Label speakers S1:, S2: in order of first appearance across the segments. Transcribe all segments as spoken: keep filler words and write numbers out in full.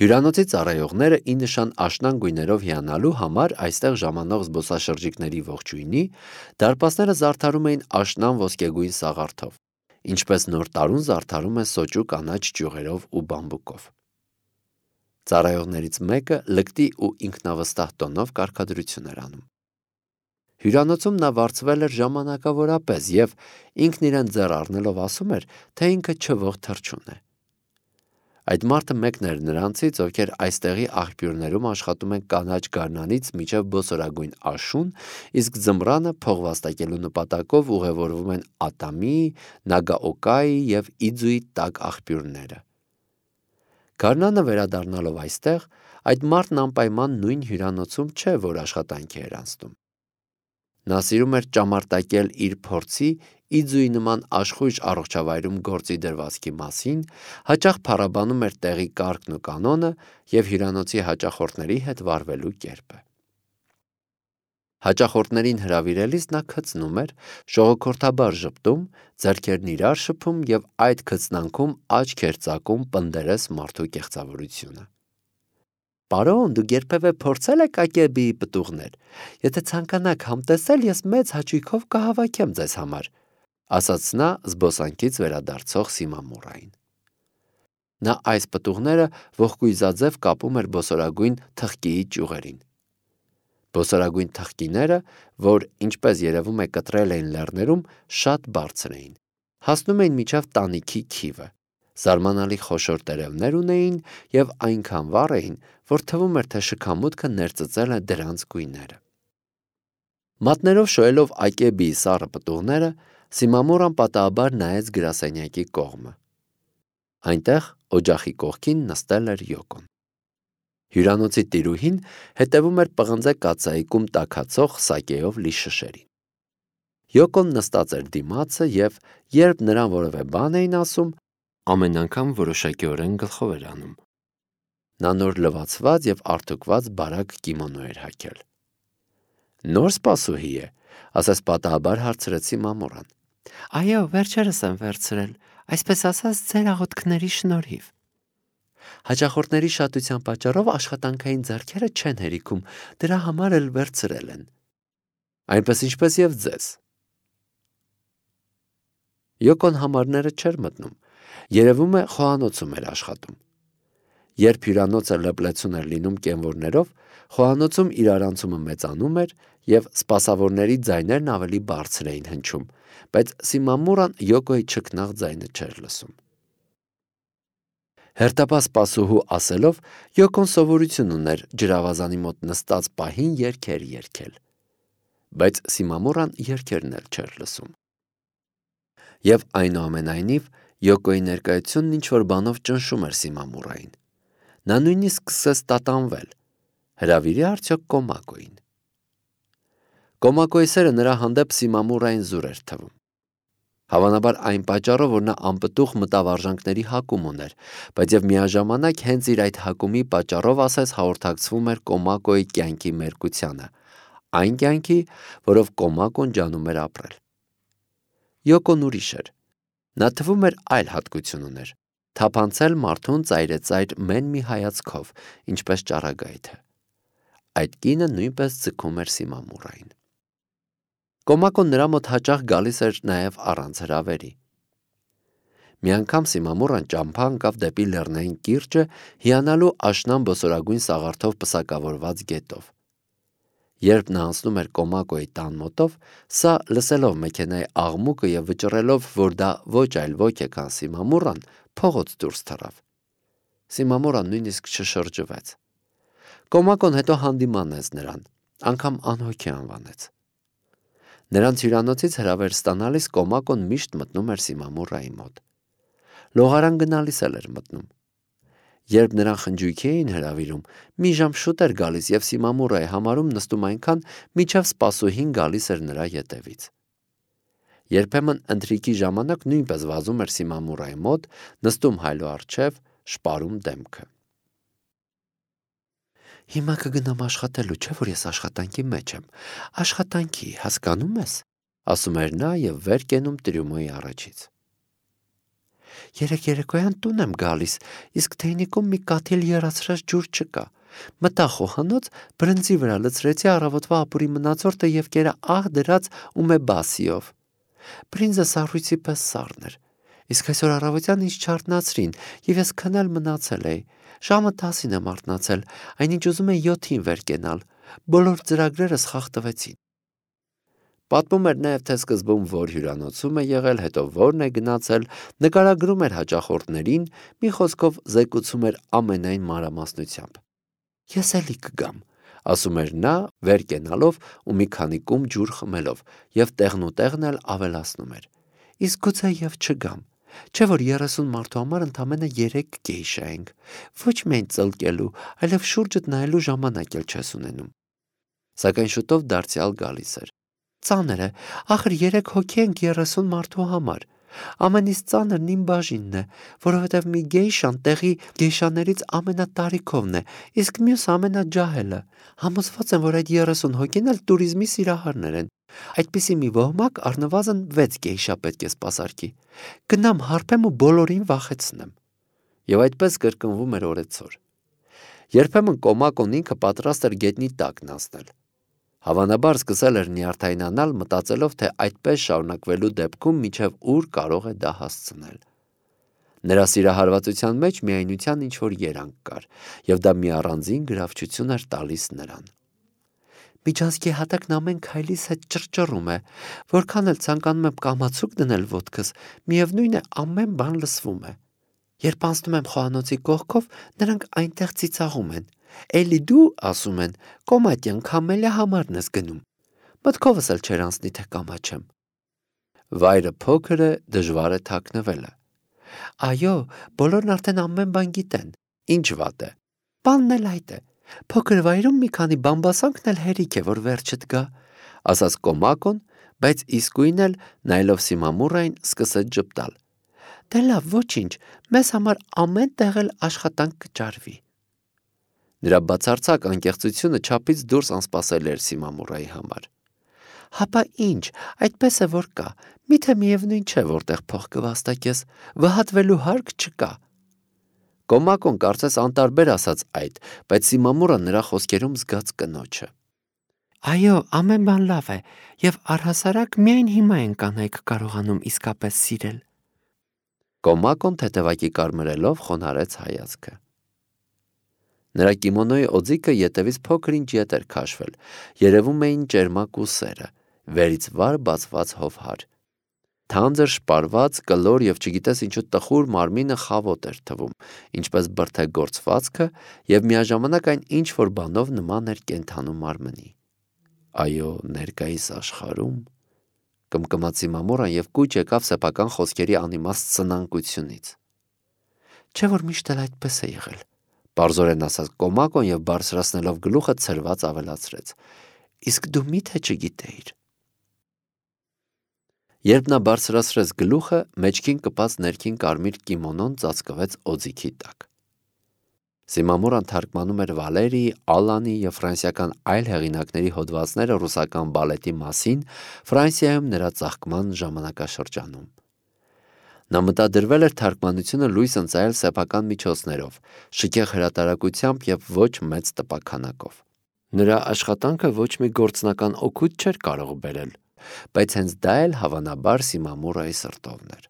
S1: Հյուրանոցի ծառայողները ի նշան աշնան գույներով հիանալու համար այստեղ ժամանող զբոսաշրջիկների ողջույնի դարպասները զարդարում էին աշնան ոսկեգույն սաղարթով, ինչպես նոր տարուն զարդարում են սոճու կանաչ ճյուղերով ու բամբուկով։ Ծառայողներից մեկը լկտի ու ինքնավստահ տոնով կարգադրություն էր անում։ Հյուրանոցում նա վարձվել էր ժամանակավորապես և ինքն իրեն ձեռ առնելով ասում էր, թե ինքը չվող թռչուն է։ Այդ մարդը մեկն էր նրանցից, ովքեր այստեղի աղբյուրներում աշխատում են կանաչ գարնանից մինչև բոսորագույն աշուն, իսկ ձմռանը փող վաստակելու նպատակով ուղևորվում են Ատամի, Նագաօկայի և Իձուի տաք աղբյուրները։ Գարնանը վերադառնալով այստեղ, այդ մարդն անպայման նույն հյուրանոցում չէ, որ աշխատանքի էր անցնում։ Նա սիրում էր ճամարտակել իր փորձի Իձուի նման աշխույժ առողջավայրում գործի դրվածքի մասին, հաճախ փառաբանում էր տեղի կարգն ու կանոնը և հյուրանոցի հաճախորդների հետ վարվելու կերպը։ Հաճախորդներին հրավիրելիս նա քցնում էր, ժողովրդաբար ժպտում, ձեռքերն իրար շփում և այդ քծնանքում աչք էր ծակում պնդերես մարդու կեղծավորությունը։ Պարոն, դուք երբևէ փորձել եք ակեբիի պտուղներ։ Եթե ցանկանաք համտեսել, ես մեծ հաճույքով կհավաքեմ ձեզ համար, ասաց նա զբոսանքից վերադարձող Սիմամուրային։ Նա այս պտուղները ողկույզաձև կապում էր բոսորագույն թխկիի ճյուղերին։ Բոսորագույն թխկիները, որ ինչպես երևում է կտրել էին լեռներում, շատ բարձր էին, հասնում էին մինչև տանիքի քիվը, զարմանալի խոշոր տերևներ ունեին և այնքան վառ էին, որ թվում էր, թե շքամուտքը ներծծել է դրանց գույները։ Մատներով շոյելով ակեբիի սառը պտուղները, Սիմամուրան պատահաբար նայեց գրասենյակի կողմը։ Այնտեղ օջախի կողքին նստել էր Յոկոն։ Հյուրանոցի տիրուհին հետևում էր պղնձե կաթսայիկում տաքացող սակեով լի շշերին։ Յոկոն նստած էր դիմացը և, երբ նրան որևէ բան էին ասում, ամեն անգամ որոշակիորեն գլխով էր անում։ Նա նոր լվացված և արթուկված բարակ կիմոնո էր հագել։ Նոր սպասուհի է, ասես պատահաբար հարցրեց Սիմամուրան։ Այո, վերջերս եմ վերցրել, այսպես ասած, ձեր աղոթքների շնորհիվ։ Հաճախորդների շատության պատճառով աշխատանքային ձեռքերը չեն հերիքում, դրա համար էլ վերցրել են։ Այնպես ինչպես և ձեզ։ Յոկոն համարները չէր մտնում, երևում է խոհանոցում էր աշխատում։ Երբ հյուրանոցը լպլեցուն էր լինում կենվորներով, խոհանոցում իրարանցումը մեծանում էր և սպասավորների ձայներն ավելի բարձր էին հնչում, բայց Սիմամուրան Յոկոյի չքնաղ ձայնը չէր լսում։ Հերթապահ սպասուհու ասելով, Յոկոն սովորություն ուներ ջրավազանի մոտ նստած պահին երգեր երգել, բայց Սիմամուրան երգերն էլ չէր լսում։ Եվ այնուամենայնիվ Յոկոյի ներկայությունն ինչ-որ բանով ճնշում էր Սիմամուրային։ Նա նույնիսկ սկսեց տատանվել, հրավիրի արդյոք Կոմակոյին։ Կոմակոյի սերը նրա հանդեպ Սիմամուրային զուր էր թվում։ Հավանաբար այն պատճառով, որ նա անպտուղ մտավարժանքների հակում ուներ, բայց և միաժամանակ հենց իր այդ հակումի պատճառով ասես հաղորդակցվում էր Կոմակոյի կյանքի մերկությանը, այն կյանքի, որով Կոմակոն ջանում էր ապրել։ Յոկոն ուրիշ էր։ Նա թվում էր այլ հատկություն ուներ, թափանցել մարդուն ծայրեծայր մեն մի հայացքով, ինչպես ճառագայթը։ Այդ կինը նույնպես ձգում էր Սիմամուրային։ Կոմակոն նրա մոտ հաճախ գալիս էր նաև առանց հրավերի։ Մի անգամ Սիմամուրան ճամփա ընկավ դեպի լեռնային կիրճը հիանալու աշնան բոսորագույն սաղարթով պսակավորված գետով։ Երբ նա անցնում էր Կոմակոյի տան մոտով, սա լսելով մեքենայի աղմուկը և վճռելով, որ դա ոչ այլ ոք է, քան Սիմամուրան, փողոց դուրս թռավ։ Սիմամուրան նույնիսկ չշրջվեց։ Կոմակոն հետո հանդիմանեց նրան, անգամ անհոգի անվանեց։ Նրանց հյուրանոցից հրավեր ստանալիս Կոմակոն միշտ մտնում էր Սիմամուրայի մոտ։ Լողարան գնալիս էլ էր մտնում։ Երբ նրան խնջույքի էին հրավիրում, մի ժամ շուտ էր գալիս և Սիմամուրայի համարում նստում այնքան, մինչև սպասուհին գալիս էր նրա ետևից։ Երբեմն ընթրիքի ժամանակ նույնպես վազում էր Սիմամուրայի մոտ, նստում հայլու առջև, շպարում դեմքը։ Հիմա կգնամ աշխատելու, չէ՞ որ ես աշխատանքի մեջ եմ։ Աշխատանքի, հասկանում ես, ասում էր նա և վեր կենում Տրյումոյի առաջից։ Երեք երեկոյան տուն եմ գալիս, իսկ թեյնիկում մի կաթիլ եռացրած ջուր չկա։ Մտա խոհանոց, բրնձի վրա լցրեցի առավոտվա ապուրի մնացորդը և կերա ահ դրած ումեբասիով։ Բրինձը սառույցի պես սառն էր։ Իսկ այսօր առավոտյան ինձ չարթնացրին, և ես քնել մնացել էի։ Ժամը տասին եմ արթնացել, այնինչ ուզում էի յոթին վեր կենալ։ Բոլոր ծրագրերս խախտվեցին։ Պատմում էր նաև, թե սկզբում որ հյուրանոցում է եղել, հետո որն է գնացել, նկարագրում էր հաճախորդներին, մի խոսքով զեկուցում էր ամենայն մանրամասնությամբ։ Ես էլի կգամ, ասում էր նա, վեր կենալով ու մի քանի կում ջուր խմելով, և տեղնուտեղն էլ ավելացնում էր։ Իսկ գուցե և չգամ, չէ որ երեսուն մարդու համար ընդամենը երեք գեյշա ենք, ոչ միայն ծլկելու, այլև շուրջդ նայելու ժամանակ էլ չես ունենում։ Սակայն շուտով դարձյալ գալիս էր։ Ծանր է, ախր երեք հոգի ենք երեսուն մարդու համար։ Ամենից ծանրն իմ բաժինն է, որովհետև մի գեյշան տեղի գեյշաներից ամենատարիքովն է, իսկ մյուս ամենաջահելը։ Համոզված եմ, որ այդ երեսուն հոգին էլ տուրիզմի սիրահարներ են։ Այդպիսի մի ոհմակ առնվազն վեց գեյշա պետք է սպասարկի։ Գնամ հարբեմ ու բոլորին վախեցնեմ։ Եվ այդպես կրկնվում էր օրեցօր։ Երբեմն Կոմակոն ինքը պատրաստ էր գետնի տակն անցնել։ Հավանաբար սկսել էր նյարդայնանալ, մտածելով, թե այդպես շարունակվելու դեպքում մինչև ուր կարող է դա հասցնել։ Նրա սիրահարվածության մեջ միայնության ինչ-որ երանգ կար, և դա մի առանձին գրավչություն էր տալիս նրան։ Միջանցքի հատակն ամեն քայլիս հետ ճռճռում է, որքան էլ ցանկանում եմ կամացուկ դնել ոտքս, միևնույն է ամեն բան լսվում է։ Երբ անցնում եմ խոհանոցի կողքով, նրանք այնտեղ ծիծաղում են։ Էլի դու, ասում են, կոմատյան քամելիա համարն ես գնում։ Մտքովս էլ չեր անցնի, թե կամաչեմ։ Վայրը փոքր է, դժվար է թաքնվելը։ Այո, բոլորն արդեն ամեն բան գիտեն։ Ինչ վատ է։ Բանն էլ այդ է։ Փոքր վայրում մի քանի բամբասանքն էլ հերիք է, որ վերջդ գա, ասաց Կոմակոն, բայց իսկույն էլ նայելով Սիմամուրային սկսեց ժպտալ։ Դե լավ, ոչինչ, մեզ համար ամեն տեղ էլ աշխատանք կճարվի։ Նրա բացարձակ անկեղծությունը չափից դուրս անսպասելի էր Սիմամուրայի համար։ Հապա ինչ, այդպես է որ կա, միթե միևնույն չէ, որտեղ փող կվաստակես, վհատվելու հարկ չկա։ Կոմակոն կարծես անտարբեր ասաց այդ, բայց Սիմամուրը նրա խոսքերում զգաց կնոջը։ Այո, ամեն բան լավ է, և առհասարակ միայն հիմա են կանայք կարողանում իսկապես սիրել։ Կոմակոն թեթևակի կարմրելով խոնարհեց հայացքը։ Նրա կիմոնոյի օձիքը ետևից փոքր-ինչ ետ էր քաշվել, երևում էին ճերմակ ուսերը, վերից վար բացված հովհար։ Թանձր շպարված, կլոր և չգիտես ինչու տխուր մարմինը խավոտ էր թվում, ինչպես բրդեգործվածքը, և միաժամանակ այն ինչ-որ բանով նման էր կենդանու մարմնի։ Այո, ներկայիս աշխարհում, կմկմաց Սիմամուրան և կուչ եկավ սեփական խոսքերի անիմաստ սնանկությունից։ Չէ որ միշտ էլ այդպես է եղել, պարզորեն ասաց Կոմակոն և բարձրացնելով գլուխը ցրված ավելացրեց. Իսկ դու միթե չգիտեիր։ Երբ նա բարձրացրեց գլուխը, մեջքին կպած ներքին կարմիր կիմոնոն ծածկվեց օձիքի տակ։ Սիմամուրան թարգմանում էր Վալերիի, Ալանի և ֆրանսիական այլ հեղինակների հոդվածները ռուսական բալետի մասին Ֆրանսիայում նրա ծաղկման ժամանակաշրջանում։ Նա մտադրվել էր թարգմանությունը լույս ընծայել սեփական միջոցներով, շքեղ հրատարակությամբ և ոչ մեծ տպաքանակով։ Նրա աշխատանքը ոչ մի գործնական օգուտ չէր կարող բերել, բայց հենց դա էլ հավանաբար Սիմամուրայի սրտովն էր։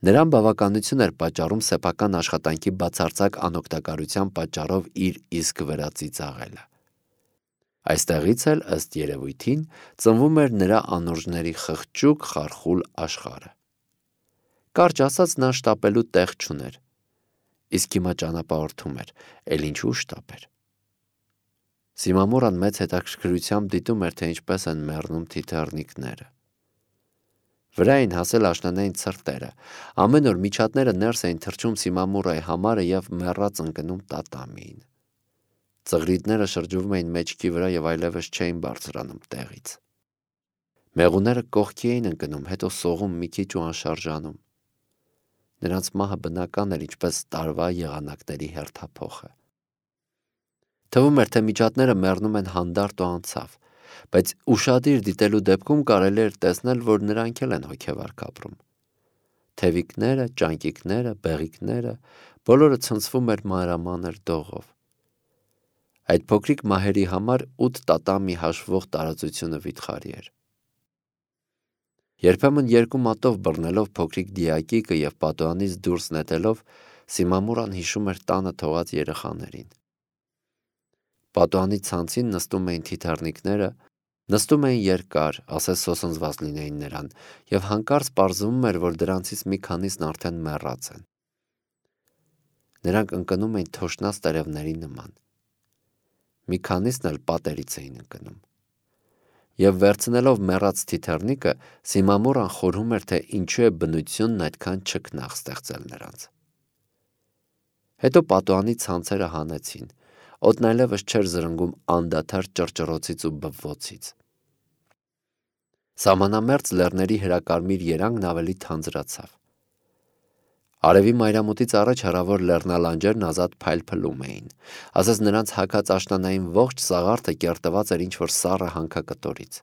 S1: Նրան բավականություն էր պատճառում սեփական աշխատանքի բացարձակ անօգտակարության պատճառով իր իսկ վրա ծիծաղելը։ Այստեղից էլ, ըստ երևույթին, ծնվում էր նրա անուրջների խղճուկ խարխուլ աշխարհը։ Կարճ ասած, նա շտապելու տեղ չուներ, իսկ հիմա ճանապարհորդում էր, էլ ինչու շտապեր։ Սիմամուրան մեծ հետաքրքրությամբ դիտում էր, թե ինչպես են մեռնում թիթեռնիկները։ Վրա էին հասել աշնանային ցրտերը, ամեն օր միջատները ներս էին թռչում Սիմամուրայի համարը և մեռած ընկնում տատամիին։ Ծղրիդները շրջվում էին մեջքի վրա և այլևս չէին բարձրանում տեղից։ Մեղուները կողքի էին ընկնում, հետո սողում մի քիչ ու անշարժանում։ Նրանց մահը բնական էր, ինչպես տարվա եղանակների հերթափոխը։ Թվում էր, թե միջատները մեռնում են հանդարտ ու անցավ, բայց ուշադիր դիտելու դեպքում կարելի էր տեսնել, որ նրանք էլ են հոգևարք ապրում։ թևիկները, ճանկիկները, բեղիկները, բոլորը ցնցվում էր մանրամանր դողով։ Այդ փոքրիկ մահերի համար ութ տատամի հաշվող տարածությունը վիթխարի էր։ Երբեմն երկու մատով բռնելով փոքրիկ դիակիկը և պատուհանից դուրս նետելով, Սիմամուրան հիշում էր տանը թողած երեխաներին։ Պատուհանի ցանցին նստում էին թիթեռնիկները, նստում էին երկար, ասես սոսնձված լինեին նրան, և հանկարծ պարզվում էր, որ դրանցից մի քանիսն արդեն մեռած են։ Նրանք ընկնում էին թոշնած տերևների նման։ Մի քանիսն էլ պատերից էին ընկնում։ Եվ վերցնելով մեռած թիթեռնիկը, Սիմամուրան խորհում էր, թե ինչու է բնությունն այդքան չքնաղ ստեղծել նրանց։ Հետո պատուհանի ցանցերը հանեցին, օդն այլևս չէր զրնգում անդադար ճռճռոցից ու բվոցից։ Սահմանամերձ լեռների հրակարմիր երանգն ավելի թանձրացավ։ Արևի մայրամուտից առաջ հեռավոր լեռնալանջերն ազատ փայլփլում էին, ասես նրանց հագած աշնանային ողջ սաղարթը կերտված էր ինչ-որ սառը հանքակտորից։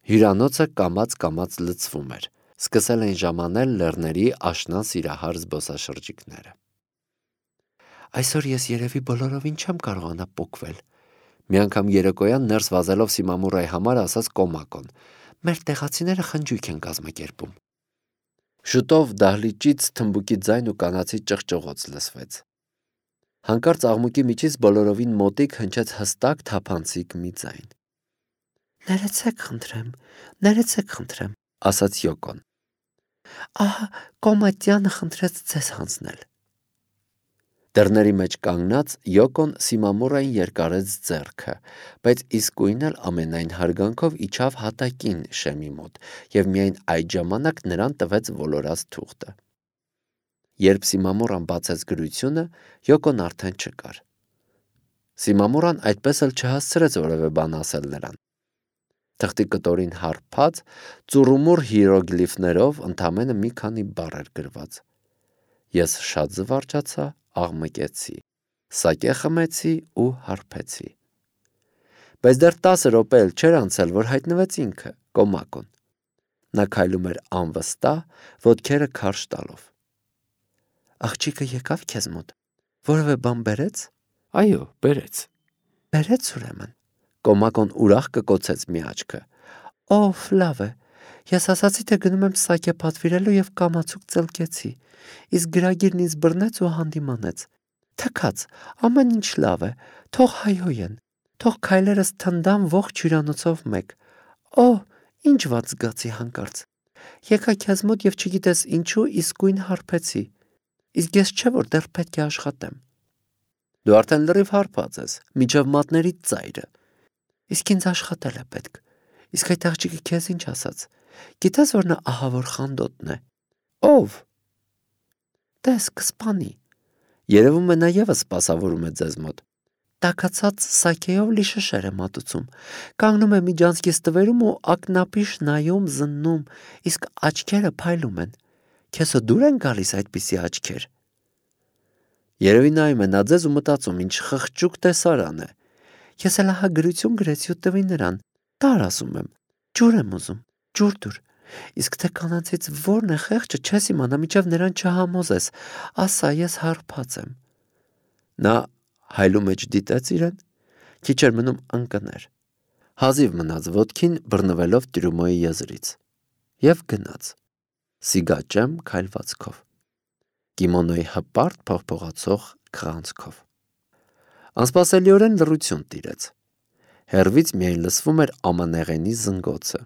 S1: Հյուրանոցը կամաց-կամաց լցվում էր, սկսել էին ժամանել լեռների աշնան սիրահար զբոսաշրջիկները։ Այսօր ես երևի բոլորովին չեմ կարողանա պոկվել, մի անգամ երեկոյան ներս վազելով Սիմամուրայի համար ասաց Կոմակոն, մեր տեղացիները խնջույք են կազմակերպում։ Շուտով դահլիճից թմբուկի ձայն ու կանացի ճղճղոց լսվեց։ Հանկարծ աղմուկի միջից բոլորովին մոտիկ հնչեց հստակ թափանցիկ մի ձայն։ Ներեցեք խնդրեմ, ներեցեք խնդրեմ, ասաց Յոկոն։ Ահա Կոմատյանը խնդրեց ձեզ հանձնել։ Դռների մեջ կանգնած Յոկոն Սիմամուրային երկարեց ձեռքը, բայց իսկույն էլ ամենայն հարգանքով իջավ հատակին շեմի մոտ և միայն այդ ժամանակ նրան տվեց ոլորած թուղթը։ Երբ Սիմամուրան բացեց գրությունը, Յոկոն արդեն չկար։ Սիմամուրան այդպես էլ չհասցրեց որևէ բան ասել նրան։ Թղթի կտորին հարբած, ծուռումուռ հիերոգլիֆներով ընդամենը մի քանի բառ էր գրված։ Ես շատ զվարճացա, աղմկեցի, սակե խմեցի ու հարբեցի։ Բայց դեռ տասը րոպե էլ չէր անցել, որ հայտնվեց ինքը, Կոմակոն։ Նա քայլում էր անվստահ, ոտքերը քարշ տալով։ Աղջիկը եկավ քեզ մոտ, որևէ բան բերեց։ Այո, բերեց։ Բերեց ուրեմն։ Կոմակոն ուրախ կկոցեց մի աչքը։ Օհ, լավ է։ Ես ասացի, թե գնում եմ սակե պատվիրելու և կամացուկ ծլկեցի, իսկ գրագիրն ինձ բռնեց ու հանդիմանեց։ Թքած, ամեն ինչ լավ է, թող հայհոյեն, թող քայլերս թնդան ողջ հյուրանոցով մեկ։ Օհ, ինչ վատ զգացի հանկարծ։ Եկա քեզ մոտ և չգիտես ինչու իսկույն հարբեցի, իսկ ես չէ որ դեռ պետք է աշխատեմ։ Դու արդեն լրիվ հարբած ես, մինչև մատներիդ ծայրը։ Իսկ ինձ աշխատել է պետք։ Իսկ այդ աղջիկը քեզ ինչ ասաց։ Գիտես որ նա ահավոր խանդոտն է։ Ով։ Տես կսպանի։ Երևում է նա ևս սպասավորում է ձեզ մոտ։ Տաքացած սակեով լի շշեր է մատուցում, կանգնում է միջանցքի ստվերում ու ակնապիշ նայում, զննում, իսկ աչքերը փայլում են։ Քեզո դուր են գալիս այդպիսի աչքեր։ Երևի նայում է նա ձեզ ու մտածում, ինչ խղճուկ տեսարան է։ Ես էլ ահա գրություն գրեցի ու տվի նրան։ Տար ասում եմ, ջուր եմ ուզում, ջուր դուր։ Իսկ թե կանանցից որն է խեղճը չես իմանա, մինչև նրան չհամոզես, ասա ես հարբած եմ։ Նա հայլու մեջ դիտեց իրեն, քիչ էր մնում ընկներ, հազիվ մնաց ոտքին բռնվելով Տրյումոյի եզրից և գնաց, սիգաճեմ քայլվածքով, կիմոնոյի հպարտ փողփողացող քղանցքով։ Անսպասելիորեն լռություն տիրեց, հեռվից միայն լսվում էր ամանեղենի զնգոցը։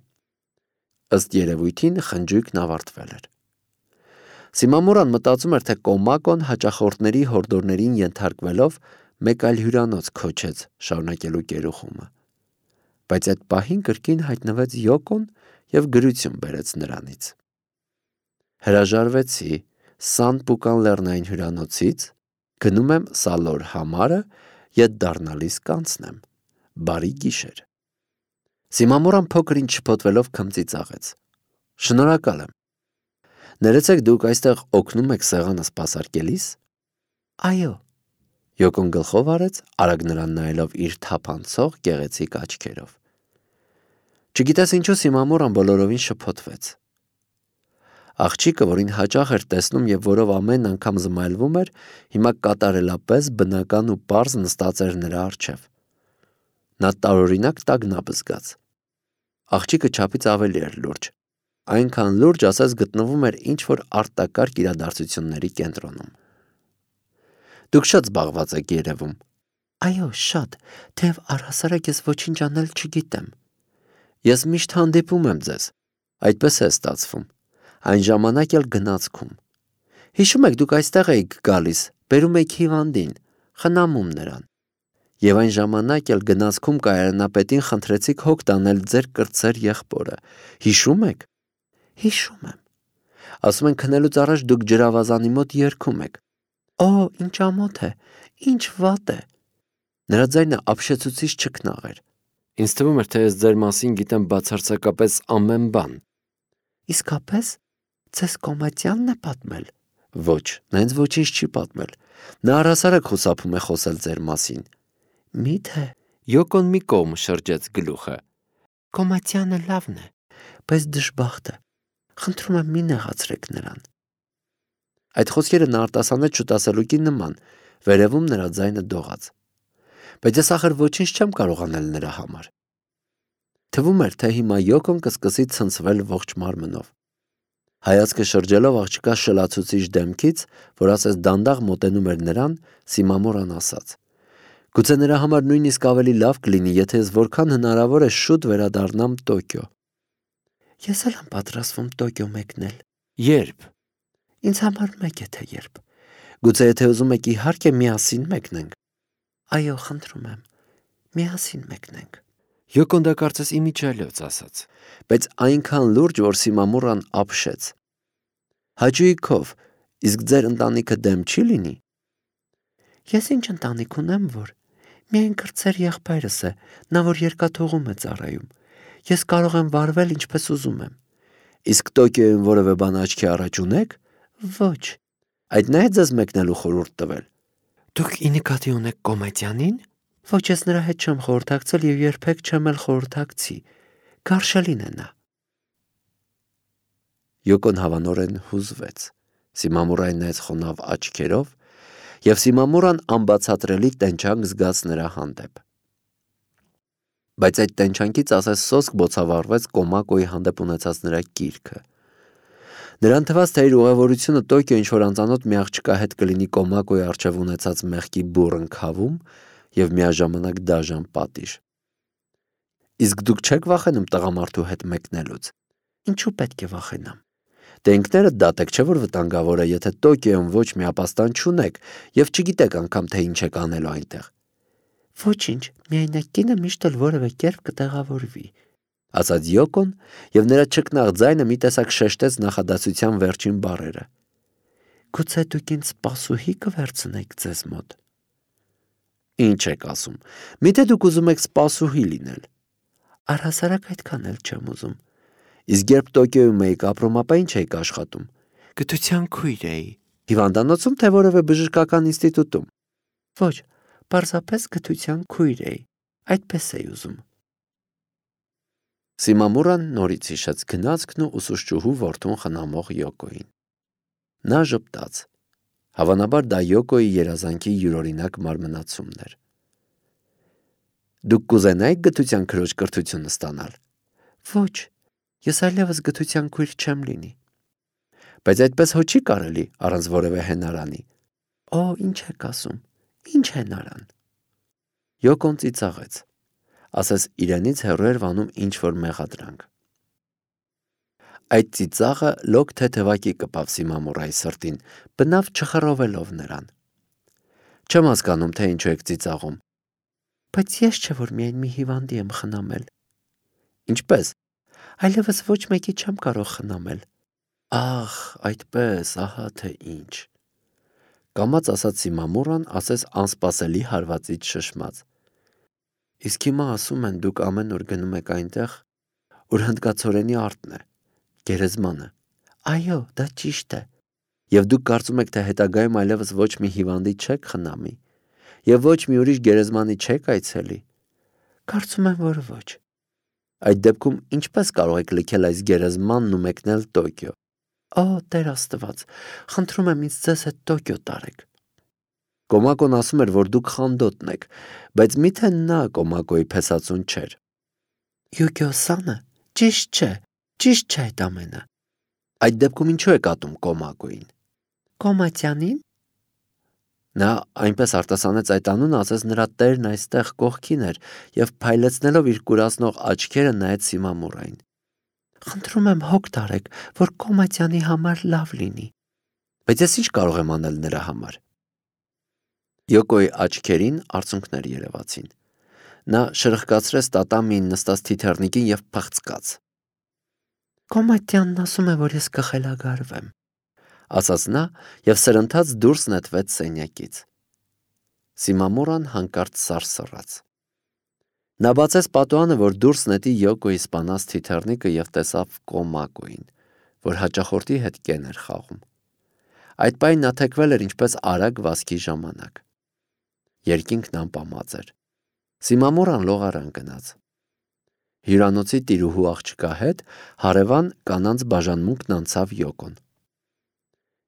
S1: Ըստ երևույթին խնջույքն ավարտվել էր։ Սիմամուրան մտածում էր, թե Կոմակոն հաճախորդների հորդորներին ենթարկվելով մեկ այլ հյուրանոց քոչեց շարունակելու կերուխումը, բայց այդ պահին կրկին հայտնվեց Յոկոն և գրություն բերեց նրանից։ Հրաժարվեցի Սան Պուկան լեռնային հյուրանոցից, գնում եմ Սալոր համարը, ետ դառնալիս կանցնեմ, բարի գիշեր։ Սիմամուրան փոքր ինչ շփոթվելով քմծի ծաղեց։ Շնորհակալ եմ։ Ներեցեք դուք այստեղ օգնում եք սեղանը սպասարկելիս։ Այո։ Յոկոն գլխով արեց, արագ նրան նայելով իր թափանցող գեղեցիկ աչքերով։ Չգիտես ինչու Սիմամուրան բոլորովին շփոթվեց։ Աղջիկը, որին հաճախ էր տեսնում և որով ամեն անգամ զմայլվում էր, հիմա կատարելապես բնական ու պարզ նստած էր նրա առջև։ Նա տարօրինակ տագնապ զգաց։ Աղջիկը չափից ավելի էր լուրջ, այնքան լուրջ, ասես գտնվում էր ինչ-որ արտակարգ իրադարձությունների կենտրոնում։ Դուք շատ զբաղված եք երևում։ Այո, շատ, թեև առհասարակ ես ոչինչ անել չգիտեմ։ Ես միշտ հանդիպում եմ ձեզ, այդպես է ստացվում, այն ժամանակ էլ գնացքում։ Հիշում եք, դուք այստեղ էիք գալիս, բերում եք հիվանդին, խնամում նրան։ Եվ այն ժամանակ էլ գնացքում կայարանապետին խնդրեցիք հոգ տանել ձեր կրտսեր եղբորը։ Հիշում եք։ Հիշում եմ։ Ասում են քնելուց առաջ դուք ջրավազանի մոտ երգում եք։ Օ, ինչ ամոթ է, ինչ վատ է։ Նրա ձայնը ապշեցուցիչ չքնաղ էր։ Ինձ թվում էր, թե ես ձեր մասին գիտեմ բացարձակապես ամեն բան։ Իսկապես, ձեզ Կոմատյանն է պատմել։ Ոչ, նա ինձ ոչինչ չի պատմել։ Նա առհասարակ խուսափում է խոսել ձեր մասին։ Մի՞թե։ Յոկոն մի կողմ շրջեց գլուխը։ Կոմատյանը լավն է, բայց դժբախտ է։ Խնդրում եմ, մի նեղացրեք նրան։ Այդ խոսքերը նա արտասանեց շուտասելուկի նման, վերևում նրա ձայնը դողաց։ Բայց ես ախր ոչինչ չեմ կարող անել նրա համար։ Թվում էր, թե հիմա Յոկոն կսկսի ցնցվել ողջ մարմնով։ Հայացքը շրջելով աղջկա շլացուցիչ դեմքից, որ ասես դանդաղ մոտենում էր նրան, Սիմամորան ասաց. Գուցե նրա համար նույնիսկ ավելի լավ կլինի, եթե ես որքան հնարավոր է շուտ վերադառնամ Տոկիո։ Ես էլ եմ պատրաստվում Տոկիո մեկնել։ Երբ։ Ինձ համար մեկ է թե երբ։ Գուցե եթե ուզում եք, իհարկե միասին մեկնենք։ Այո, խնդրում եմ, միասին մեկնենք։ Յոկոն դա կարծես իմիջիալոց ասաց, բայց այնքան լուրջ, որ Սիմամորան ապշեց։ Հաճույքով, իսկ ձեր ընտանիքը դեմ չի լինի։ Ես ինչ ընտանիք ունեմ, որ միայն կրտսեր եղբայրս է, նա որ երկաթուղում է ծառայում։ Ես կարող եմ վարվել ինչպես ուզում եմ։ Իսկ Տոկիոյում որևէ բան աչքի առաջ ունեք։ Ոչ։ Այդ նա է ձեզ մեկնելու խորհուրդ տվել։ Դուք ի նկատի ունեք Կոմատյանին։ Ոչ, ես նրա հետ չեմ խորհրդակցել և երբեք չեմ էլ խորհրդակցի։ Գարշելին է նա։ Յոկոն հավանորեն հուզվեց։ Սիմամորային նայեց խոնավ աչքերով, և Սիմամորան անբացատրելի տենչանք զգաց նրա հանդեպ։ Բայց այդ տենչանքից ասես սոսկ բոցավառվեց Կոմակոյի հանդեպ ունեցած նրա կիրքը։ Նրան թվաց, թե իր ուղևորությունը Տոկիո ինչ-որ անծանոթ մի աղջկա հետ կլինի Կոմակոյի առջև ունեցած մեղքի բուռն քավում և միաժամանակ դաժան պատիժ։ Իսկ դուք չեք վախենում տղամարդու հետ մեկնելուց։ Ինչու պետք է վախենամ։ Դե ինքներդ դատեք, չէ՞ որ վտանգավոր է, եթե Տոկիոյում ոչ մի ապաստան չունեք և չգիտեք անգամ, թե ինչ եք անելու այնտեղ։ Ոչինչ, միայն այդ կինը միշտ էլ որևէ կերպ կտեղավորվի, ասաց Յոկոն, և նրա չքնաղ ձայնը մի տեսակ շեշտեց նախադասության վերջին բառերը։ Գուցե դուք ինձ սպասուհի կվերցնեք ձեզ մոտ։ Ինչ եք ասում։ Միթե դուք ուզում եք սպասուհի լինել։ Առհասարակ այդքան էլ չեմ ուզում։ Իսկ երբ Տոկիոյում էիք ապրում, ապա ինչ էիք աշխատում։ Գթության քույր էի։ Հիվանդանոցում, թե որևէ բժշկական ինստիտուտում։ Ոչ, պարզապես գթության քույր էի։ Այդպես էի ուզում։ Սիմամորան նորից հիշեց գնացքն ու ուսուցչուհու որդուն խնամող Յոկոյին։ Նա ժպտաց։ Հավանաբար դա Յոկոյի երազանքի յուրօրինակ մարմնացումն էր։ Դուք կուզենայիք գթության քրոջ կրթությունը ստանալ։ Ոչ, ես այլևս գթության քույր չեմ լինի։ Բայց այդպես հո չի կարելի առանց որևէ հենարանի։ Օ, ինչ եք ասում, ինչ հենարան։ Յոկոն ծիծաղեց, ասես իրենից հեռու էր վանում ինչ-որ մեղադրանք։ Այդ ծիծաղը լոկ թեթևակի կպավ Սիմամորայի սրտին, բնավ չխռովելով նրան։ Չեմ հասկանում, թե ինչու եք ծիծաղում։ Բայց ես չէ, որ միայն մի հիվանդի եմ խնամել։ Ինչպես։ Այլևս ոչ մեկի չեմ կարող խնամել։ Ահ, այդպես, ահա թե ինչ։ Կամաց ասաց Սիմամորան, ասես անսպասելի հարվածից շշմած։ Իսկ հիմա ասում են, դուք ամեն օր գնում եք այնտեղ, ուր հնդկացորենի արտն է, գերեզմանը։ Այո, դա ճիշտ է։ Եվ դուք կարծում եք, թե հետագայում այլևս ոչ մի հիվանդի չեք խնամի, և ոչ մի ուրիշ գերեզմանի չեք այցելի։ Կարծում եմ, որ ոչ։ Այդ դեպքում ինչպես կարող եք լքել այս գերեզմանն ու մեկնել Տոկիո։ Օ, Տեր Աստված, խնդրում եմ ինձ ձեզ հետ Տոկիո տարեք։ Կոմակոն ասում էր, որ դուք խանդոտն եք, բայց միթե նա Կոմակոյի փեսացուն չէր։ Յուգիո-սանը ճիշտ չէ, ճիշտ չէ այդ ամենը։ Այդ դեպքում ինչու եք ատում Կոմակոյին։ Կոմատյանին։ Նա այնպես արտասանեց այդ անունը, ասես նրա տերն այստեղ կողքին էր եւ փայլեցնելով իր կուրացնող աչքերը նայեց Սիմամուրային։ Խնդրում եմ հոգ տարեք, որ Կոմատյանի համար լավ լինի։ Բայց ես ինչ կարող եմ անել նրա համար։ Յոկոյի աչքերին արցունքներ երևացին։ Նա շրխկացրեց տատամիին նստած թիթեռնիկին եւ փղծկաց։ Կոմատյանն ասում է, որ ես կխելագարվեմ, ասաց նա եւ սրընթաց դուրս նետվեց սենյակից։ Սիմամուրան հանկարծ սարսռաց։ Նա բացեց պատուհանը, որ դուրս նետի Յոկոյի սպանած թիթեռնիկը եւ տեսավ Կոմակոյին, որ հաճախորդի հետ կեն էր խաղում։ Այդ պահին նա թեքվել էր ինչպես արագ վազքի ժամանակ։ Երկինքն անպամած էր։ Սիմամուրան լողարան գնաց։ Հյուրանոցի տիրուհու աղջկա հետ հարևան կանանց բաժանմունքն անցավ Յոկոն։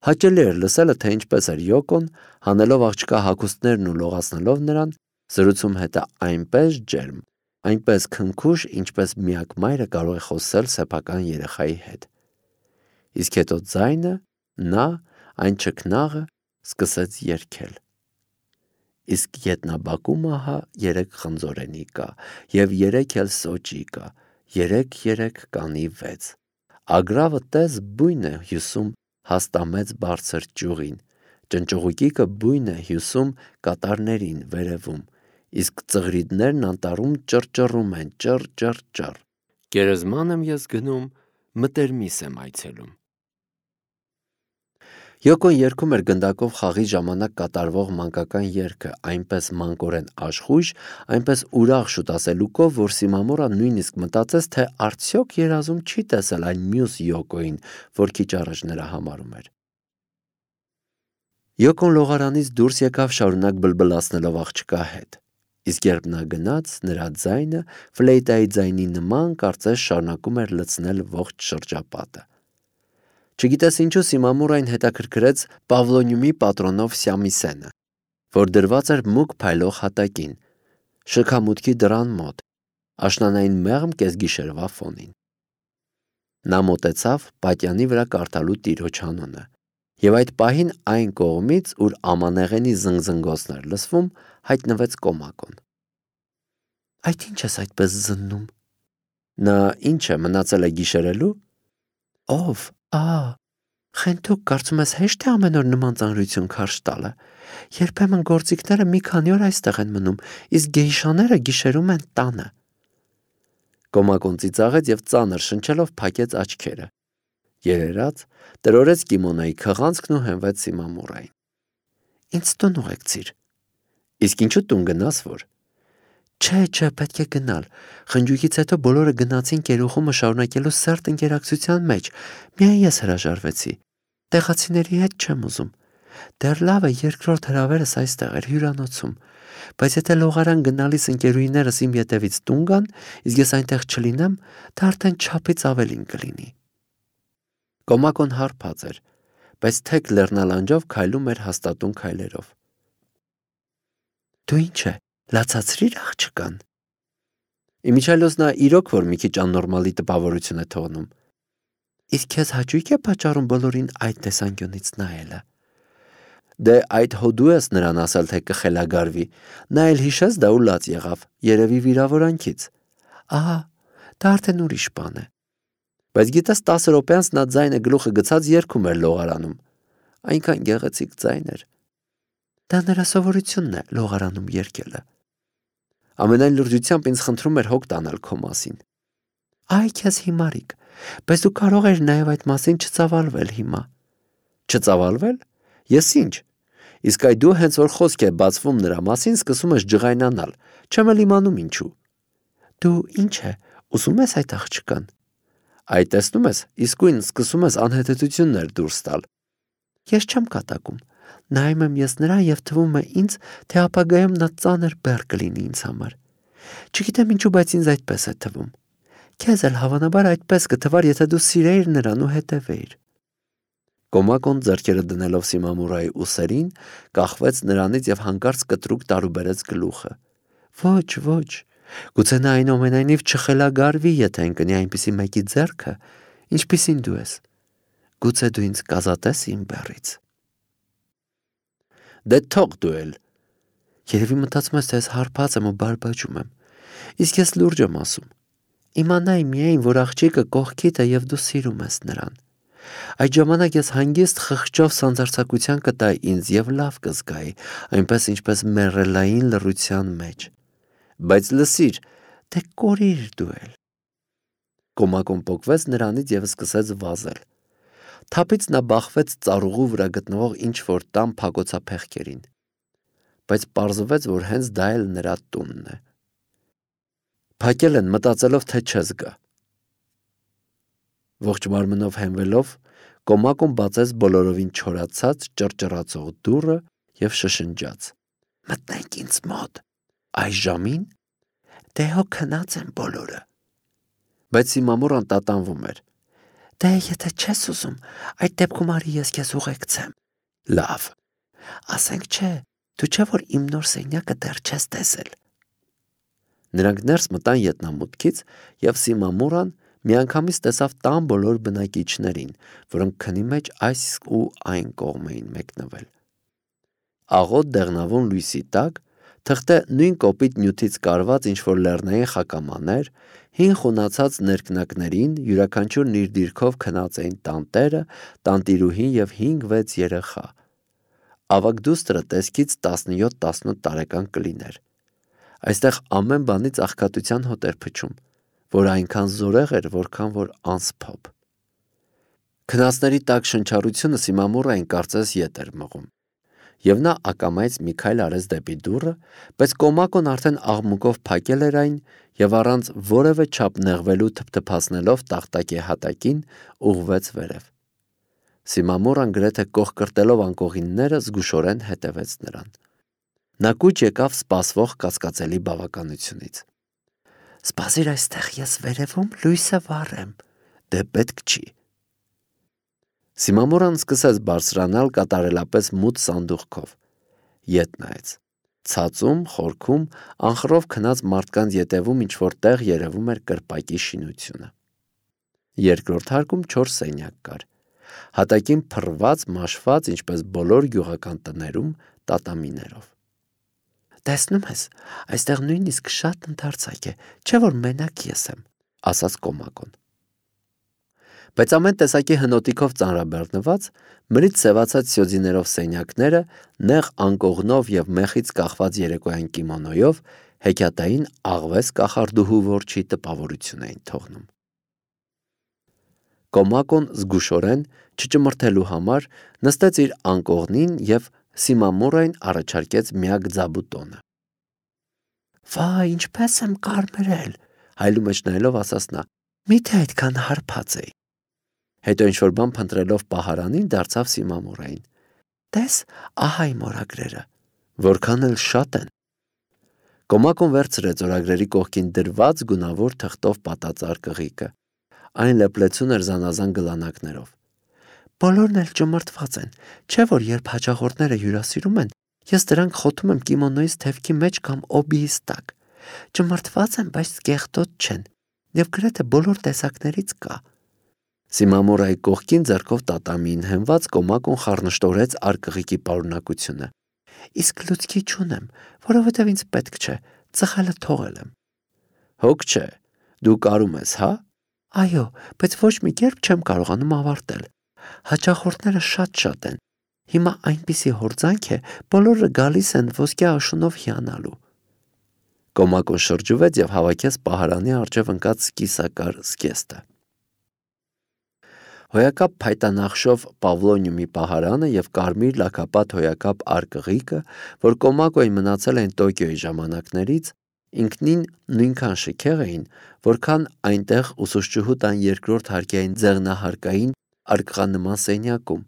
S1: Հաճելի էր լսելը, թե ինչպես էր Յոկոն, հանելով աղջկա հագուստներն ու լողացնելով նրան, զրուցում հետը այնպես ջերմ, այնպես քնքուշ, ինչպես միակ մայրը կարող է խոսել սեփական երեխայի հետ։ Իսկ հետո ձայնը, նա, այն չքնաղը սկսեց երգել։ Իսկ ետնաբակում ահա երեք խնձորենի կա, և երեք էլ սոճի կա, երեք-երեք կանի վեց։ Ագրավը տես բույն է հյուսում հաստամեց բարձր ճյուղին, ճնճղուկիկը բույն է հյուսում կատարներին վերևում, իսկ ծղրիդներն անտառում ճռճռում են ճռ-ճռ-ճռ։ Գերեզման եմ ես գնում, մտերմիս եմ այցելում։ Յոկոն երգում էր գնդակով խաղի ժամանակ կատարվող մանկական երգը այնպես մանկորեն աշխույժ, այնպես ուրախ շուտասելուկով, որ Սիմամուրան նույնիսկ մտածեց, թե արդյոք երազում չի տեսել այն մյուս Յոկոյին, որ քիչ առաջ նրա համարում էր։ Յոկոն լողարանից դուրս եկավ շարունակ բլբլացնելով աղջկա հետ, իսկ երբ նա գնաց, նրա ձայնը ֆլեյտայի ձայնի նման կարծես շարունակում էր լցնել ողջ շրջապատը։ Չգիտես ինչու Սիմամուրային հետաքրքրեց Պավլոնիումի պատրոնով Սյամիսենը, որ դրված էր մուգ փայլող հատակին, շքամուտքի դռան մոտ, աշնանային մեղմ կեսգիշերվա ֆոնին։ Նա մոտեցավ պատյանի վրա կարդալու տիրոջ անունը, և այդ պահին այն կողմից, ուր ամանեղենի զնգզնգոցն էր լսվում, հայտնվեց Կոմակոն։ Այդ ինչ ես այդպես զննում։ Նա ինչ է, մնացել է գիշերելու։ Ով, ա, խենթուկ, կարծում ես հեշտ է ամեն օր նման ծանրություն քարշ տալը։ Երբեմն գործիքները մի քանի օր այստեղ են մնում, իսկ գեյշաները գիշերում են տանը։ Կոմակոն ծիծաղեց և ծանր շնչելով փակեց աչքերը։ Երերաց, տրորեց կիմոնոյի քղանցքն ու հենվեց Սիմամուրային։ Ինձ տուն ուղեկցիր։ Իսկ ինչու տուն գնաս որ։ Չէ, չէ, պետք է գնալ։ Խնջույքից հետո բոլորը գնացին կերուխումը շարունակելու սերտ ընկերակցության մեջ, միայն ես հրաժարվեցի։ Տեղացիների հետ չեմ ուզում։ Դեռ լավ է, երկրորդ հրավերս այստեղ էր հյուրանոցում, բայց եթե լողարան գնալիս ընկերուհիներս իմ ետևից տուն գան, իսկ ես այնտեղ չլինեմ, դա արդեն չափից ավելին կլինի։ Կոմակոն հարբած էր, բայց թեք լեռնալանջով քայլում էր հաստատուն քայլերով։ Դու ինչ է, լացացրիր աղջկան։ Իմիջիայլոց նա իրոք որ մի քիչ աննորմալի տպավորություն է թողնում։ Իսկ քեզ հաճույք է պատճառում բոլորին այդ տեսանկյունից նայելը։ Դե այդ հո դու ես նրան ասել, թե կխելագարվի, նա էլ հիշեց դա ու լաց եղավ, երևի վիրավորանքից։ Ահա, դա արդեն ուրիշ բան է։ Բայց գիտես տասը րոպե անց նա ձայնը գլուխը գցած երգում էր լողարանում։ Այնքան գեղեցիկ ձայն էր։ Դա նրա սովորությունն է լողարանում երգելը։ Ամենայն լրջությամբ ինձ խնդրում էր հոգ տանել քո մասին։ Այ քեզ հիմարիկ, բայց դու կարող ես նաև այդ մասին չծավալվել հիմա։ Չծավալվել։ Ես ինչ։ Իսկ այ դու հենց որ խոսք է բացվում նրա մասին, սկսում ես ջղայնանալ, չեմ էլ իմանում ինչու։ Դու ինչ է, ուզում ես այդ աղջկան։ Այ տեսնում ես, իսկույն սկսում ես անհետեցություններ դուրս տալ։ Ես չեմ կատակում, նայում եմ ես նրան և թվում է ինձ, թե ապագայում նա ծանր բեռ կլինի ինձ համար։ Չգիտեմ ինչու, բայց ինձ այդպես է թվում։ Քեզ էլ հավանաբար այդպես կթվար, եթե դու սիրեիր նրան ու հետևեիր։ Կոմակոն ձեռքերը դնելով Սիմամուրայի ուսերին, կախվեց նրանից և հանկարծ կտրուկ տարուբերեց գլուխը։ Ոչ, ոչ, գուցե նա այնուամենայնիվ չխելագարվի, եթե ընկնի այնպիսի մեկի ձեռքը, ինչպիսին դու ես։ Գուցե դու ինձ կազատես իմ բեռից։ Դե թող դու էլ։ Երևի մտածում ես, թե ես հարբած եմ ու բարբաջում եմ։ Իսկ ես լուրջ եմ ասում։ Իմանայի միայն, որ աղջիկը կողքիդ է և դու սիրում ես նրան։ Այդ ժամանակ ես հանգիստ խղճով սանձարձակության կտայի ինձ և լավ կզգայի, այնպես ինչպես մեռելային լռության մեջ։ Բայց լսիր, դե կորիր դու էլ։ Կոմակոն պոկվեց նրանից և սկսեց վազել։ Թափից նա բախվեց ծառուղու վրա գտնվող ինչ-որ տան փակոցափեղկերին։ Բայց պարզվեց, որ հենց դա էլ նրա տունն է։ Փակել են, մտածելով, թե չես գա։ Ողջ մարմնով հենվելով, Կոմակոն բացեց բոլորովին չորացած ճռճռացող դուռը և շշնջաց. Մտնենք ինձ մոտ։ Այս ժամին։ Դե հո քնած են բոլորը։ Բայց Սիմամուրան տատանվում էր։ Դե եթե չես ուզում, այդ դեպքում արի ես քեզ ուղեկցեմ։ Լավ։ Ասենք չէ, դու չէ որ իմ նոր սենյակը դեռ չես տեսել։ Նրանք ներս մտան ետնամուտքից, և Սիմամուրան միանգամից տեսավ տան բոլոր բնակիչներին, որոնք քնի մեջ այս ու այն կողմ էին մեկնվել։ Աղոտ դեղնավուն լույսի տակ, թղթե նույն կոպիտ նյութից կարված ինչ-որ լեռնային խակամաներ, հին խունացած ներքնակներին յուրաքանչյուրն իր դիրքով քնած էին տանտերը, տանտիրուհին և հինգ-վեց երեխա։ Ավագ դուստրը տեսքից տասնյոթ տասնութ տարեկան կլիներ։ Այստեղ ամեն բանից աղքատության հոտ էր փչում, որ այնքան զորեղ էր, որքան որ անսփոփ։ Քնածների տաք շնչառությունը Սիմամուրային կարծես ետ էր մղում, և նա ակամայից մի քայլ արեց դեպի դուռը, բայց Կոմակոն արդեն աղմուկով փակել էր այն և առանց որևէ չափ նեղվելու թփթփացնելով տախտակի հատակին ուղղվեց վերև։ Սիմամուրան գրեթե կոխկրտելով անկողինները զգուշորեն հետևեց նրան։ Նա կուչ եկավ սպասվող կասկածելի բավականությունից։ Սպասիր այստեղ, ես վերևում լույսը վառեմ, դե պետք չի։ Սիմամուրան սկսեց բարձրանալ կատարելապես մութ սանդուղքով։ Ետ նայեց։ Ցածում, խորքում, անխռով քնած մարդկանց ետևում ինչ-որ տեղ երևում էր կրպակի շինությունը։ Երկրորդ հարկում չորս սենյակ կար։ Հատակին փռված, մաշված, ինչպես բոլոր գյուղական տներում, տատամիներով։ Տեսնում ես, այստեղ նույնիսկ շատ ընդարձակ է, չէ՞ որ մենակ ես եմ, ասաց Կոմակոն։ Բայց ամեն տեսակի հնոտիքով ծանրաբեռնված, մրից սևացած սյոձիներով սենյակները, նեղ անկողնով և մեխից կախված երեկոյան կիմոնոյով, հեքիաթային աղվես կախարդուհու որջի տպավորություն էին թողնում։ Կոմակոն զգուշորեն, չճմրթելու համար, նստեց իր անկողնին և Սիմամուրային առաջարկեց միակ ձաբուտոնը։ Վայ, ինչպես եմ կարմրել, հայլու մեջ նայելով ասաց նա, միթե այդքան հարբած էի։ Հետո ինչ-որ բան փնտրելով պահարանին, դարձավ Սիմամուրային։ Տես, ահա իմ օրագրերը, որքան էլ շատ են։ Կոմակոն վերցրեց օրագրերի կողքին դրված գունավոր թղթով պատած արկղիկը։ Այն լեփլեցուն էր զանազան գլանակներով։ Բոլորն էլ ճմրթված են, չէ՞ որ երբ հաճախորդները հյուրասիրում են, ես դրանք խոթում եմ կիմոնոյից թևքի մեջ կամ օբիից տակ։ Ճմրթված են, բայց կեղտոտ չեն, և գրեթե բոլոր տեսակներից կա։ Սիմամուրայի կողքին ձեռքով տատամիին հենված Կոմակոն խառնշտորեց արկղիկի պարունակությունը։ Իսկ լուցկի չունեմ, որովհետև ինձ պետք չէ, ծխելը թողել եմ։ Հոգ չէ, դու կարում ես, հա։ Այո, բայց ոչ մի կերպ չեմ կարողանում ավարտել։ Հաճախորդները շատ-շատ են։ Հիմա այնպիսի հորձանք է, բոլորը գալիս են ոսկյա աշունով հիանալու։ Կոմակոն շրջվեց և հավաքեց պահարանի առջև ընկած կիսակար զգեստը։ Հոյակապ փայտանախշով պավլոնիումի պահարանը և կարմիր լաքապատ հոյակապ արկղիկը, որ Կոմակոյին մնացել են Տոկիոյի ժամանակներից, ինքնին նույնքան շքեղ էին, որքան այնտեղ ուսուցչուհու տան երկրորդ հարկային ձեղնահարկային արկղանման սենյակում,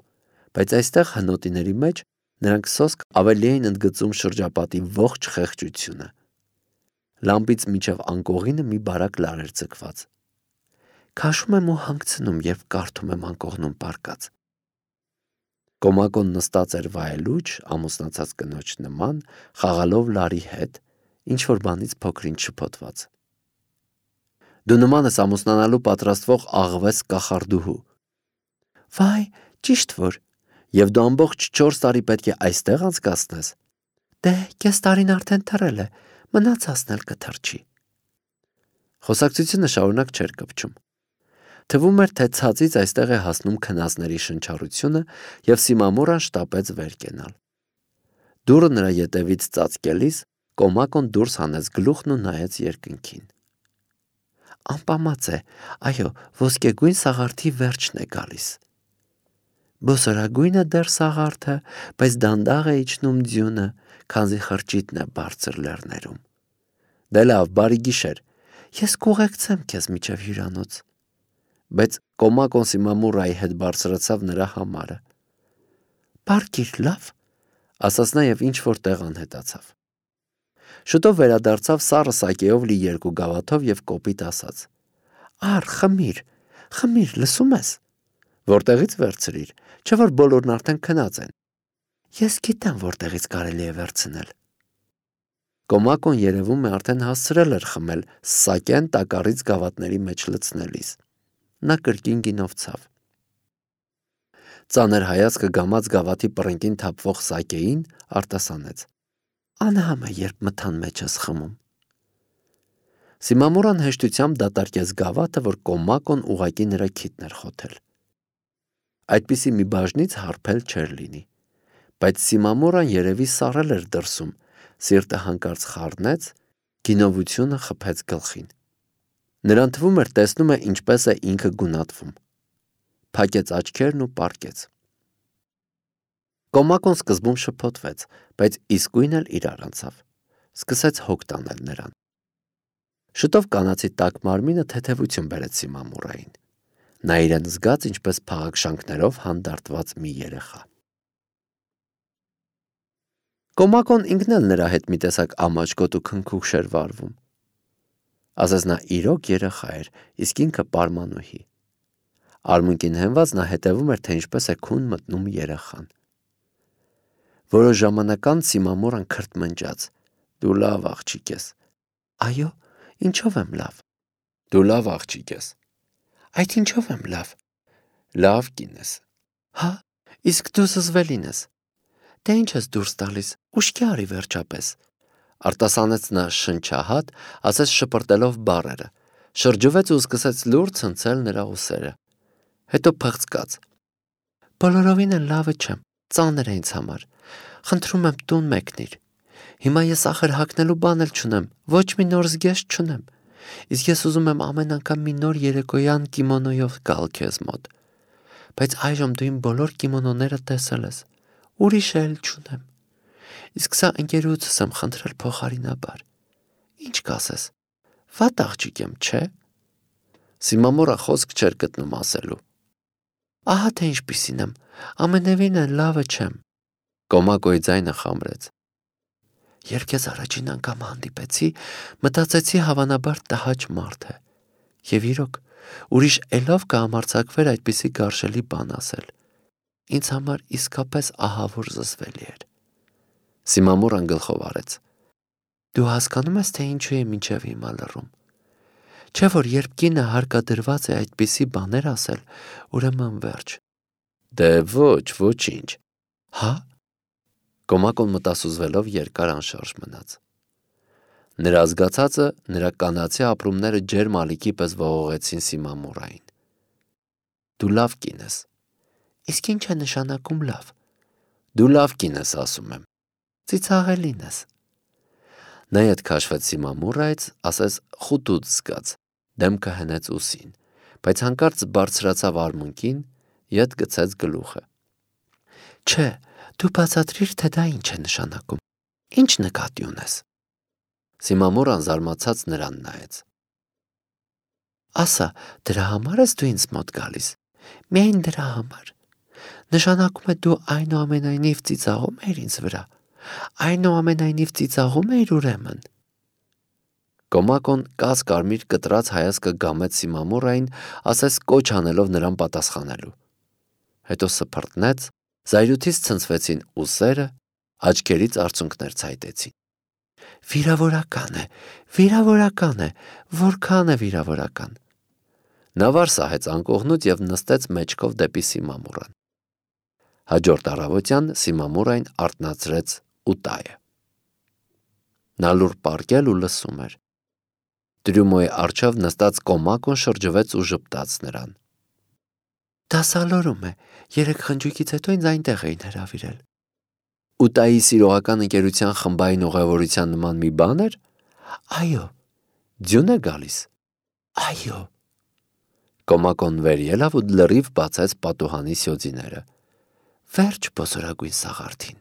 S1: բայց այստեղ հնոտիների մեջ նրանք սոսկ ավելի էին ընդգծում շրջապատի ողջ խեղճությունը։ Լամպից մինչև անկողինը մի բարակ լար էր ձգված։ Քաշում եմ ու հանգցնում, երբ կարդում եմ անկողնում պառկած։ Կոմակոն նստած էր վայելուչ, ամուսնացած կնոջ նման, խաղալով Լարի հետ, ինչ-որ բանից փոքր-ինչ շփոթված։ Դու նման ես ամուսնանալու պատրաստվող աղվես կախարդուհու։ Վայ, ճիշտ որ, և դու ամբողջ չորս տարի պետք է այստեղ անցկացնես։ Դե, կես տարին արդեն թռել է, մնացածն էլ կթռչի։ Խոսակցությունը շարունակ չէր կպչում։ Թվում էր, թե ցածից այստեղ է հասնում քնածների շնչառությունը, և Սիմամորան շտապեց վեր կենալ։ Դուռը նրա ետևից ծածկելիս Կոմակոն դուրս հանեց գլուխն ու նայեց երկնքին։ Անպամած է, այո, ոսկեգույն սաղարթի վերջն է գալիս։ Բոսորագույնը դեռ սաղարթը, բայց դանդաղ է իջնում ձյունը, քանզի խրճիթն է բարձր լեռներում։ Դե լավ, բարի գիշեր, ես կուղեկցեմ քեզ մինչև հյուրանոց։ Բայց Կոմակոն Սիմամուրայի հետ բարձրացավ նրա համարը։ Պարկիր, լավ, ասաց նա և ինչ-որ տեղ անհետացավ։ Շուտով վերադարձավ սառը սակեով լի երկու գավաթով և կոպիտ ասաց. Ար, խմիր, խմիր, լսում ես։ Որտեղից վերցրիր, չէ որ բոլորն արդեն քնած են։ Ես գիտեմ, որտեղից կարելի է վերցնել։ Կոմակոն երևում է արդեն հասցրել էր խմել սակեն տակառից գավաթների մեջ լցնելիս։ Նա կրկին գինով ցավ։ Ծանր հայացքը գամած գավաթի պռնկին թափվող սակեին արտասանեց. Անհամ է, երբ մթան մեջ ես խմում։ Սիմամուրան հեշտությամբ դատարկեց գավաթը, որ Կոմակոն ուղղակի նրա քիթն էր խոթել։ Այդպիսի մի բաժնից հարբել չէր լինի, բայց Սիմամուրան երևի սառել էր դրսում, սիրտը հանկարծ խառնեց, գինովությունը խփեց գլխին։ Նրան թվում էր, տեսնում է ինչպես է ինքը գունատվում։ Փակեց աչքերն ու պառկեց։ Կոմակոն սկզբում շփոթվեց, բայց իսկույն էլ իրար անցավ։ Սկսեց հոգ տանել նրան։ Շուտով կանացի տաք մարմինը թեթևություն բերեց Սիմամուրային։ Նա իրեն զգաց ինչպես փաղաքշանքներով հանդարտված մի երեխա։ Կոմակոն ինքն էլ նրա հետ մի տեսակ ամաչկոտ ու քնքուշ էր վարվում։ Ասես նա իրոք երեխա էր, իսկ ինքը պարմանուհի։ Արմունկին հենված նա հետևում էր, թե ինչպես է քուն մտնում երեխան։ Որոշ ժամանակ անց Սիմամորան քրթմնջաց. Դու լավ աղջիկ ես։ Այո, ինչով եմ լավ։ Դու լավ աղջիկ ես։ Այդ ինչով եմ լավ։ Լավ կին ես։ Հա, իսկ դու զզվելին ես։ Դե ինչ ես դուրս տալիս, ուշքի արի վերջապես։ Արտասանեց նա շնչահատ, ասես շպրտելով բառերը, շրջվեց ու սկսեց լուր ցնցել նրա ուսերը։ Հետո փղծկաց. Բոլորովին էլ լավը չեմ, ծանր է ինձ համար։ Խնդրում եմ տուն մեկնիր։ Հիմա ես ախր հագնելու բան էլ չունեմ, ոչ մի նոր զգեստ չունեմ։ Իսկ ես ուզում եմ ամեն անգամ մի նոր երեկոյան կիմոնոյով գալ քեզ մոտ։ Բայց այժմ դու իմ բոլոր կիմոնոները տեսել ես։ Ուրիշ էլ չունեմ։ Իսկ սա ընկերոջս եմ խնդրել փոխարինաբար։ Ինչ կասես։ Վատ աղջիկ եմ, չէ։ Սիմամորա խոսք չէր գտնում ասելու։ Ահա թե ինչպիսին եմ, ամենևին էլ լավը չեմ։ Կոմակոյի ձայնը խամրեց։ Երբ քեզ առաջին անգամ հանդիպեցի, մտածեցի հավանաբար տհաճ մարդ է։ Եվ իրոք, ուրիշ էլով կհամարձակվեր այդպիսի գարշելի բան ասել։ Ինձ համար իսկապես ահավոր զզվելի էր։ Սիմամորան գլխով արեց։ Դու հասկանում ես, թե ինչու է մինչև հիմա լռում։ Չէ որ երբ կինը հարկադրված է այդպիսի բաներ ասել, ուրեմն վերջ։ Դե ոչ, ոչինչ։ Հա։ Կոմակոն մտասուզվելով երկար անշարժ մնաց։ Նրա զգացածը, նրա կանացի ապրումները ջերմ ալիքի պես ողողեցին Սիմամորային։ Դու լավ կին ես։ Իսկ ինչ է նշանակում լավ։ Դու լավ կին ես, ասում եմ։ Ծիծաղելին ես։ Նա ետ քաշվեց Սիմամորայից, ասես խուտուց զգաց, դեմքը հնեց ուսին, բայց հանկարծ բարձրացավ արմունկին, ետ գցեց գլուխը։ Չէ, դու բացատրիր, թե դա ինչ է նշանակում։ Ինչ նկատի ունես։ Սիմամորան զարմացած նրան նայեց։ Ասա, դրա համար ես դու ինձ մոտ գալիս։ Միայն դրա համար։ Նշանակում է դու այնուամենայնիվ ծիծաղում ես ինձ վրա։ Այնուամենայնիվ ծիծաղում ես ուրեմն։ Կոմակոն կաս կարմիր կտրած հայացքը գամեց Սիմամորային, ասես կոչ անելով նրան պատասխանելու։ Հետո սփռտնեց, Զայրույթից ցնցվեցին ուսերը, աչքերից արցունքներ ցայտեցին։ Վիրավորական է, վիրավորական է, որքան է վիրավորական։ Նա վար սահեց անկողնուց և նստեց մեջքով դեպի Սիմամուրան։ Հաջորդ առավոտյան Սիմամուրային արթնացրեց Ուտայը։ Նա լուռ պառկել ու լսում էր։ Տրյումոյի առջև նստած Կոմակոն շրջվեց ու ժպտաց նրան։ Դա սալորում է, երեք խնջույքից հետո ինձ այնտեղ էին հրավիրել։ Ուտայի սիրողական ընկերության խմբային ուղևորության նման մի բան էր։ Այո։ Ձյուն է գալիս։ Այո։ Կոմակոն վեր ելավ ու լրիվ բացեց պատուհանի սյոձիները։ Վերջ բոսորագույն սաղարթին։